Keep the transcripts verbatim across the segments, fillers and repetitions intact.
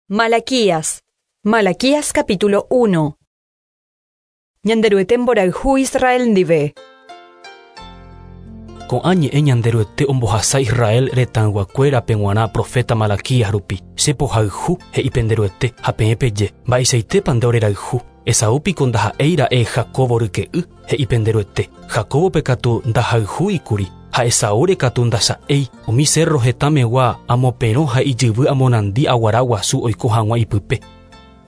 Malaquías. Malaquías capítulo uno. Ñanderuete mborayhu Israel ndive. Ko'ã ñe'ẽ Ñanderuete ombohasa Israel retãyguakuérape g̃uarã profeta Malaquías rupi. Che pohayhu he'i penderuete ha peẽ peje mba'eichaitépa nde orerayhu. Esaú piko ndaha'éira'e Jacobo ryke'y he'i penderuete. Jacobope katu ndahayhúikuri ha Esaúre katu ndacha'éi. Umi cerro hetãmegua amoperõ ha ijyvy amonandi aguara guasu oiko hag̃ua ipype.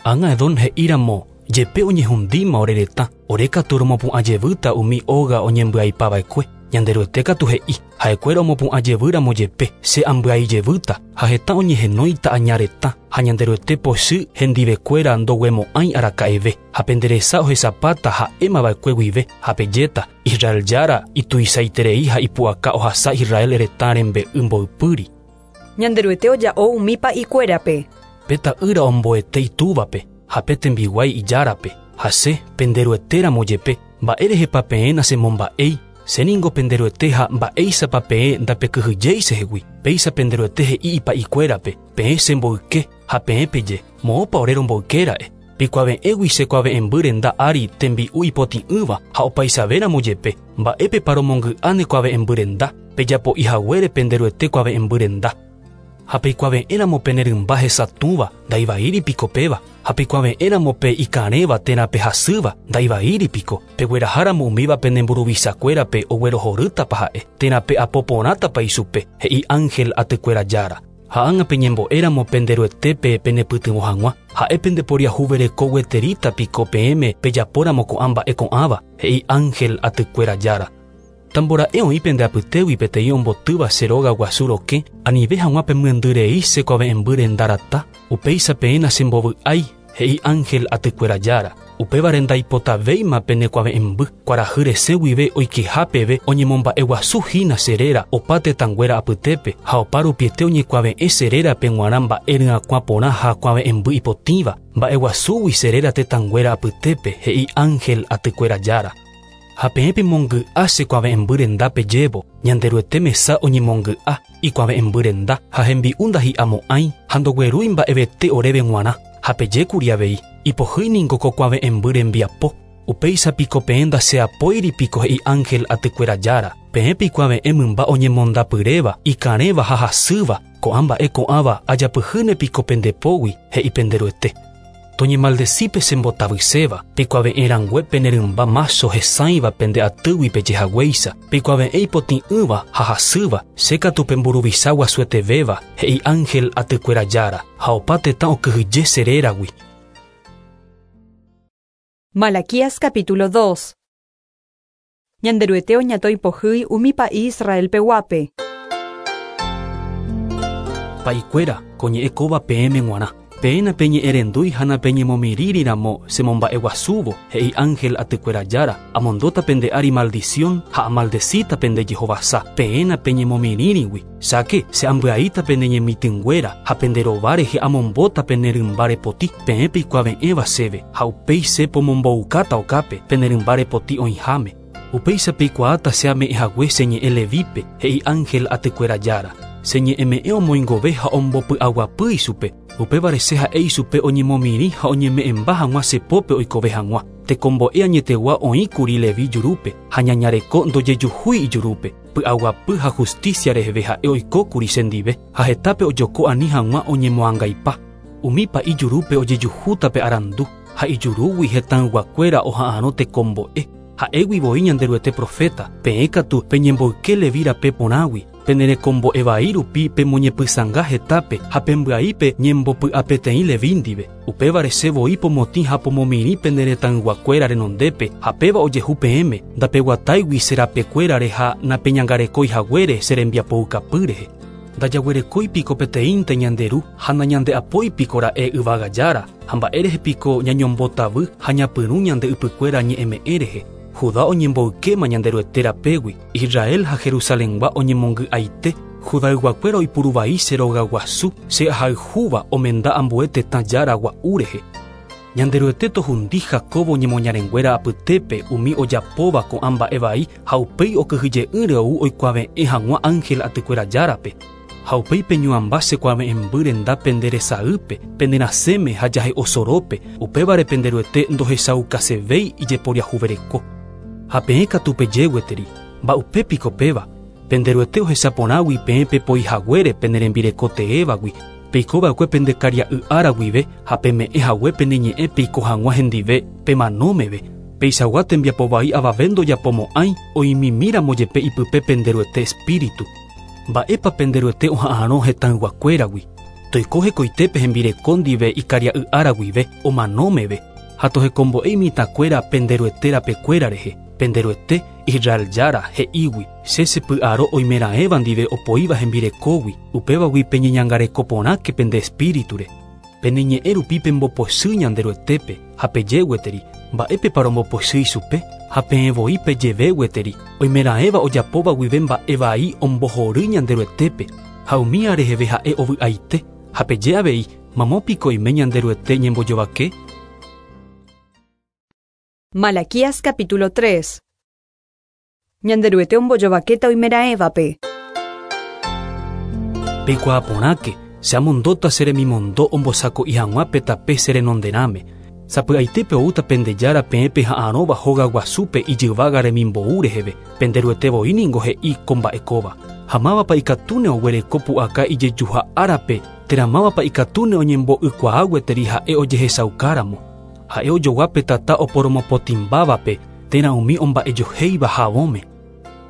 Ág̃a Edom he'íramo jepe oñehundíma ore retã, ore katu romopu'ãjevýta umi óga oñembyaipava'ekue. Ñanderuete katu he'i ha'ekuéra omopu'ãjevýramo jepe che ambyaijevýta ha heta oñehenóita aña retã ha Ñanderuete pochy hendivekuéra ndoguemo'ãi araka'eve ha penderesa ohesapáta ha'émava'ekue guive ha pejéta Israel Jára ituichaiterei ha ipu'aka ohasa Israel retã rembe'y mboypýri. Ñanderuete oja'o umi pa'ikuérape. Pe ta'ýra omboete itúvape ha pe tembiguái ijárape ha che penderuetéramo jepe mba'érehepa peẽ nachemomba'éi. Che ningo penderuete ha mba'éichapa peẽ ndapekyhyjéi chehegui. Péicha penderuete he'i ipa'ikuérape peẽ chemboyke ha peẽ peje moõpa ore romboykéra'e. Pikuave'ẽgui chekuave'ẽmby renda ári tembi'u ipotĩ'ỹva ha opaichavéramo jepe mba'épepa romongy'a ne kuave'ẽmby renda pejapo'i haguére penderuete kuave'ẽmby renda. Ha peikuave'ẽramo pene rymba hesatũva ndaivaíri piko péva. Ha peikuave'ẽramo pe ikarẽva térã pehasýva ndaivaíri piko. Pegueraháramo umíva pene mburuvichakuérape oguerohorýtapa ha'e térã pe'apoporãtapa ichupe he'i ángel atykuéra Jára. Ha ág̃a peñembo'éramo penderuetépe penepytyvõ hag̃ua ha'e pendeporiahuvereko gueteríta piko peẽme pejapóramo ko'ã mba'e ko'ãva he'i ángel atykuéra Jára. Tambora'e oĩ pende apytégui peteĩ ombotýva che róga guasu rokẽ anive hag̃ua pemyendyrei che kuave'ẽmby renda rata upéicha peẽ nachembovy'ái he'i ángel atykuéra Jára. Upévare ndaipotavéima pene kuave'ẽmby kuarahy resẽ guive oikeha peve oñemomba'eguasuhína che réra opa tetãnguéra apytépe ha opa rupiete oñekuave'ẽ che rérape g̃uarã mba'e ryakuã porã ha kuave'ẽmby ipotĩva mba'eguasúgui che réra tetãnguéra apytépe he'i ángel atykuéra Jára. Ha peẽ pemongy'a che kuave'ẽmby renda pejévo Ñanderuete mesa oñemongy'a ikuave'ẽmby renda ha hembi'u ndahi'amo'ãi ha ndoguerúi mba'evete oréve g̃uarã ha pejékuri avei ipohýi ningo ko kuave'ẽmby rembiapo. Upéicha piko peẽ ndacheapóiri piko he'i ángel atykuéra Jára. Peẽ pikuave'ẽ mymba oñemondapyréva ikarẽva ha hasýva ko'ã mba'e ko'ãva ajapyhýne piko pendepógui he'i penderuete. Toñemaldecípe chembotavyséva peikuave'ẽrangue pene rymba mácho hesãiva pende atýgui pejehaguéicha peikuave'ẽ ipotĩ'ỹva ha hasýva che katu pemburuvicha guasuetevéva he'i ángel atykuéra Jára ha opa tetã okyhyje che réragui. Malaquías capítulo dos. Ñanderuete oñatõi pohýi umi pa'i Israel peguápe. Pa'ikuéra ko ñe'ẽ kóva peẽme g̃uarã. Peẽ napeñe'ẽrendúi ha napeñemomirĩriramo chemomba'eguasúvo he'i ángel atykuéra Jára amondóta pende ári maldición ha amaldecíta pende jehovasa peẽ napeñemomirĩrigui. Cháke che ambyaíta pene ñemitỹnguéra ha pende rova rehe amombóta pene rymba repoti peẽ peikuave'ẽva chéve ha upéi che pomomboukáta okápe pene rymba repoti oĩháme. Upéicha peikuaáta che ame'ẽhague che ñe'ẽ Levípe he'i ángel atykuéra Jára. Che ñe'ẽme'ẽ omoingove ha ombopy'aguapy ichupe. Upévare che ha'e ichupe oñemomirĩ ha oñeme'ẽmba hag̃ua che pópe oikove hag̃ua. Tekombo'e añetegua oĩkuri Levi jurúpe ha ñañareko ndojejuhúi ijurúpe. Py'aguapy ha justicia reheve ha'e oikókuri chendive ha hetápe ojoko ani hag̃ua oñemoangaipa. Umi pa'i jurúpe ojejuhúta pe arandu ha ijurúgui hetãyguakuéra oha'arõ tekombo'e. Ha'égui voi Ñanderuete profeta peẽ katu peñemboyke Levi rape porãgui penerekombo'evai rupi pemoñepysãnga hetápe ha pembyaípe ñembopy'apeteĩ Levi ndive. Upévare che voi pomotĩ ha pomomirĩ pene retãyguakuéra renondépe ha péva ojehu peẽme ndapeguatáigui che rapekuérare ha napeñangarekói haguére che rembiapoukapy rehe. Ndajaguerekói piko peteĩnte Ñanderu ha nañande'apói piko ra'e yvága Jára ha mba'érehe piko ñañombotavy ha ñapyrũ ñande ypykuéra ñe'ẽme'ẽ rehe. Judá oñemboykéma Ñanderuete rapégui, Israel ha Jerusalengua oñemongy'aite, Judayguakuéra oipuruvai che rogaguasu che ahayhúva omenda ambue tetã Jára gua'u rehe. Ñanderuete tohundi Jacobo ñemoñarenguéra apytépe umi ojapóva ko'ã mba'e vai ha upéi okyhyje'ỹre ou oikuave'ẽ hag̃ua ángel atykuéra Járape. Ha upéi peñuamba che kuave'ẽmby renda pende resaýpe, pende rasẽme ha jahe'osórope, upévare pende Ruete ndohechaukasevéi ijeporiahuvereko. Ha peẽ katu peje gueteri, mba'upépiko péva, pende Ruete ohechaporãgui peẽ pepoihaguére pene rembireko teévagui, peikova'ekue pende karia'y ára guive ha peme'ẽ hague pene ñe'ẽ peiko hag̃ua hendive pemanómeve. Peichagua tembiapovai avave ndojapomo'ãi oimimíramo jepe ipype pende Ruete espíritu. Mba'épa pende Ruete oha'arõ hetãyguakuéragui. Toiko hekoitépe hembireko ndive ikaria'y ára guive omanómeve ha tohekombo'e imitãkuéra pende Ruete rapekuéra rehe. Pende Ruete Israel Jára he'ígui che chepy'aro oimeraẽva ndive opoíva hembirekógui, upévagui peñeñangareko porãke pende espíriture. Pene ñe'ẽ rupi pembopochy ñande Ruetépe ha peje gueteri, mba'épepa rombopochy ichupe ha peẽ voi pejeve gueteri, oimeraẽva ojapóva guive mba'e vai ombohory ñande Ruetépe ha umíva reheve ha'e ovy'aite ha peje avei mamópiko oime ñande Ruete ñembojovake. Malaquías capítulo tres. Ñanderuete ombojovakéta oimeraẽvape. Peikuaaporãke, che amondóta che remimondo ombosako'i hag̃ua pe tape che renonderãme. Sapy'aitépe oúta pende Jára peẽ peha'arõva hóga guasúpe ijyvága remimbou reheve, pende Ruete voi ningo he'i ko mba'ekóva. Ha mávapa ikatúne oguereko pu'aka ijejuha árape, térã mávapa ikatúne oñembo'ykuaa gueteri ha'e ojehechaukáramo. Ha'e ojogua pe tata oporomopotĩmbávape térã umi omba'ejohéiva havõme.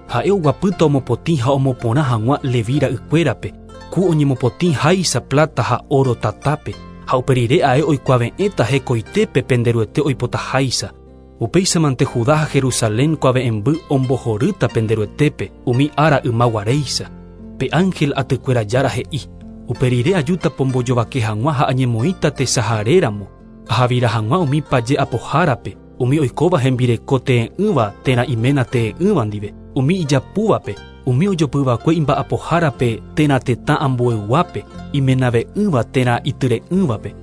Ha'e oguapýta omopotĩ ha omoporã hag̃ua Levi ra'ykuérape, ku oñemopotĩ háicha plata ha oro tatápe, ha uperire ae oikuave'ẽta hekoitépe pende Ruete oipotaháicha. Upéichamante Judá ha Jerusalén kuave'ẽmby ombohorýta pende Ruetépe umi ára ymaguaréicha. Pe ángel atykuéra Jára he'i, uperire ajúta pombojovake hag̃ua ha añemoĩta tesaharéramo, ahavira hag̃ua umi paje apohárape, umi oikóva hembireko tee'ỹva térã iména tee'ỹva ndive, umi ijapúvape, umi ojopyva'ekue imba'apohárape térã tetã ambueyguápe, imenave'ỹva térã ityre'ỹvape.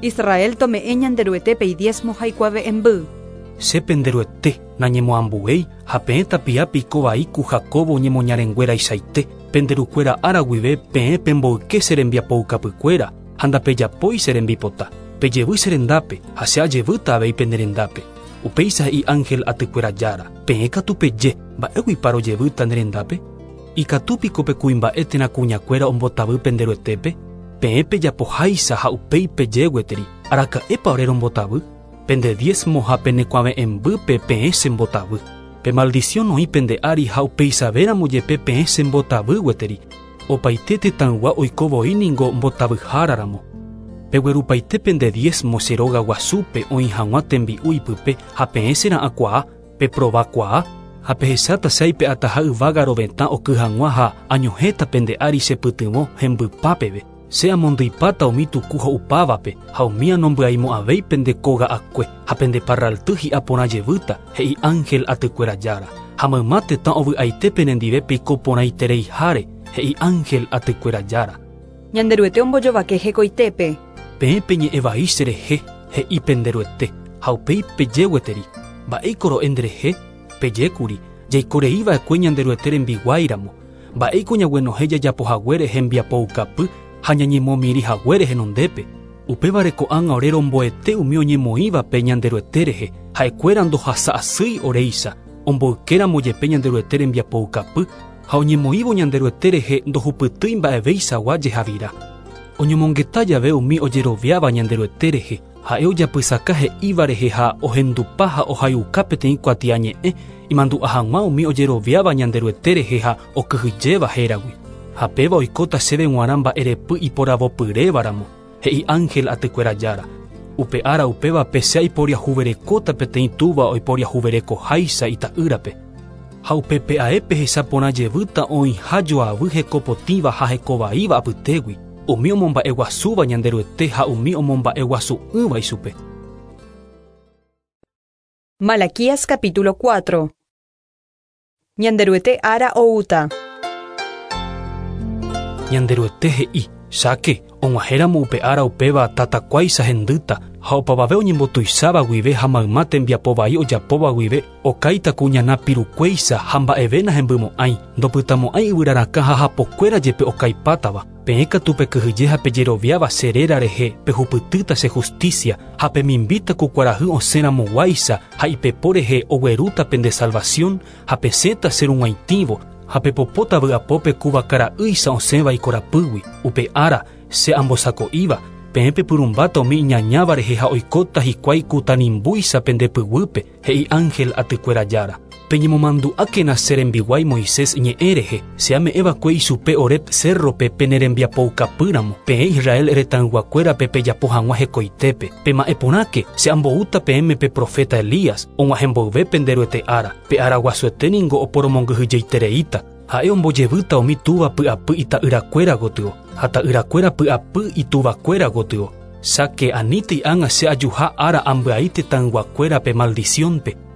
Israel tome'ẽ Ñanderuetépe idiezmo ha ikuave'ẽmby. Che pende Ruete nañemoambuéi ha peẽ tapiápe ikovai ku Jacobo ñemoñarenguéraichaite, pende rukuéra ára guive peẽ pemboyke che rembiapoukapykuéra ha ndapejapói che rembipota. Pejevy che rendápe ha che ajevýta avei pene rendápe. Upéicha he'i ángel atykuéra Jára, peẽ katu peje, mba'éguipa rojevýta ne rendápe? Ikatúpiko pe kuimba'e térã kuñakuéra ombotavy pende Ruetépe? Peẽ pejapoháicha ha upéi peje gueteri, araka'épa ore rombotavy? Pende diezmo ha pene kuave'ẽmbýpe peẽ chembotavy. Pe maldición oĩ pende ári ha upeichavéramo jepe peẽ chembotavy gueteri. Opaite tetãygua oiko voi ningo mbotavyháraramo. Peguerupaite pende diezmo che róga guasúpe oĩ hag̃ua tembi'u ipype ha peẽ chera'ãkuaa, peprovakuaa, ha pehecháta che aipe'ataha yvága rovetã oky hag̃ua ha añohẽta pende ári chepytyvõ hembypa peve. Che amondyipáta umi tuku ho'upávape ha umi anombyaimo'ãvéi pende kóga'akue ha pende parralty hi'a porã jevýta, he'i ángel atykuéra Jára. Ha mayma tetã ovy'aite penendive peiko porãitereiháre, he'i ángel atykuéra Jára. Ñanderuete ombojovake hekoitépe. Peẽ peñe'ẽ vai cherehe, he'i pende Ruete, ha upéi peje gueteri, mba'éiko ro'e nderehe? Pejékuri, jaikoreiva'ekue Ñanderuete rembiguáiramo, mba'éiko ñaguenohẽ jajapohaguére hembiapoukapy ha ñañemomirĩ haguére henondépe. Upévare ko'ág̃a ore romboete umi oñemoĩvape Ñanderuete rehe, ha'ekuéra ndohasa'asýi oréicha, omboykéramo jepe Ñanderuete rembiapoukapy ha oñemoĩvo Ñanderuete rehe ndohupytýi mba'evéichagua jehavira. Oñomongeta jave umi ojeroviáva Ñanderuete rehe, ha'e ojapysaka he'íva rehe ha ohendupa ha ohayuka peteĩ kuatiañe'ẽ imandu'a hag̃ua umi ojeroviáva Ñanderuete rehe ha okyhyjéva héragui. Ha péva oikóta chéve g̃uarã mba'erepy iporavopyrévaramo, he'i ángel atykuéra Jára. Upe ára upévape che aiporiahuverekóta peteĩ túva oiporiahuverekoháicha ita'ýrape. Ha upépe ae pehecha porã jevýta oĩha joavy hekopotĩva ha hekovaíva apytégui, umi omomba'eguasúva Ñanderuete ha umi omomba'eguasu'ỹva ichupe. Malaquías capítulo cuatro. Ñanderuete ára oúta. Ñanderuete he'i, Cháke, og̃uahẽramo upe ára upéva tatakuáicha hendýta ha opavave oñembotuicháva guive ha mayma tembiapo vai ojapóva guive okáita ku ñana pirukuéicha ha mba'eve nahembymo'ãi ndopytamo'ãi yvyrarakã ha hapokuéra jepe okaipátava. Peẽ katu pekyhyje ha pejeroviáva che réra rehe pehupytýta che justicia ha pemimbíta ku kuarahy osẽramoguáicha ha ipepo rehe oguerúta pende salvación ha pesẽta che rug̃uaitĩvo ha pepopóta vy'apópe ku vakara'ýicha osẽva ikorapýgui. Upe ára che ambosako'íva peẽ pepyrumbáta umi iñañáva rehe ha oikóta hikuái ku tanimbúicha pende pyguýpe, he'i ángel atykuéra jára. Peñemomandu'ákena che rembiguái Moisés ñe'ẽ rehe, che ame'ẽva'ekue ichupe Horeb cérrope pene rembiapoukapýramo, peẽ Israel retãyguakuérape pejapo hag̃ua hekoitépe. Pema'ẽporãke, che amboúta peẽme pe profeta Elías, og̃uahẽ mboyve pende Ruete ára. Pe ára guasuete ningo oporomongyhyjeitereíta. Ha'e ombojevýta umi túva py'apy ita'yrakuéra gotyo, ha ta'yrakuéra py'apy ituvakuéra gotyo. Cháke anítei ág̃a che ajuha ára ambyai tetãyguakuérape maldiciónpe.